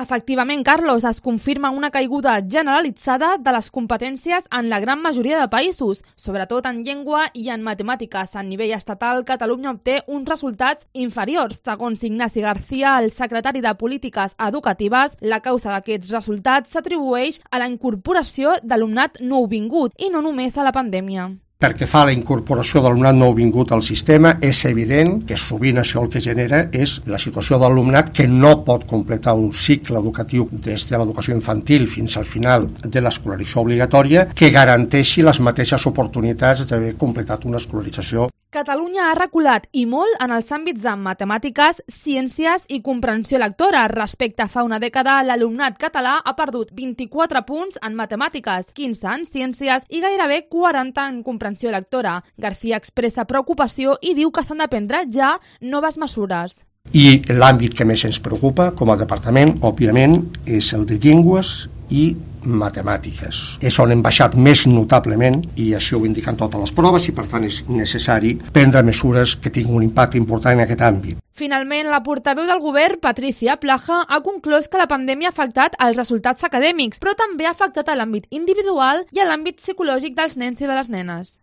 Efectivament, Carlos, es confirma una caiguda generalitzada de les competències en la gran majoria de països, sobretot en llengua i en matemàtiques. A nivell estatal, Catalunya obté uns resultats inferiors. Segons Ignasi García, el secretari de Polítiques Educatives, la causa d'aquests resultats s'atribueix a la incorporació d'alumnat nouvingut i no només a la pandèmia. Pel que fa a la incorporació d'alumnat nouvingut al sistema, és evident que sovint això el que genera és la situació d'alumnat que no pot completar un cicle educatiu des de l'educació infantil fins al final de l'escolarització obligatòria que garanteixi les mateixes oportunitats d'haver completat una escolarització. Catalunya ha reculat i molt en els àmbits de matemàtiques, ciències i comprensió lectora. Respecte a fa una dècada, l'alumnat català ha perdut 24 punts en matemàtiques, 15 en ciències i gairebé 40 en comprensió lectora. García expressa preocupació i diu que s'han de prendre ja noves mesures. I l'àmbit que més ens preocupa com a departament, òbviament, és el de llengües i matemàtiques. És on hem baixat més notablement i això ho indiquen totes les proves i per tant és necessari prendre mesures que tinguin un impacte important en aquest àmbit. Finalment, la portaveu del govern, Patricia Plaja, ha conclòs que la pandèmia ha afectat els resultats acadèmics, però també ha afectat a l'àmbit individual i a l'àmbit psicològic dels nens i de les nenes.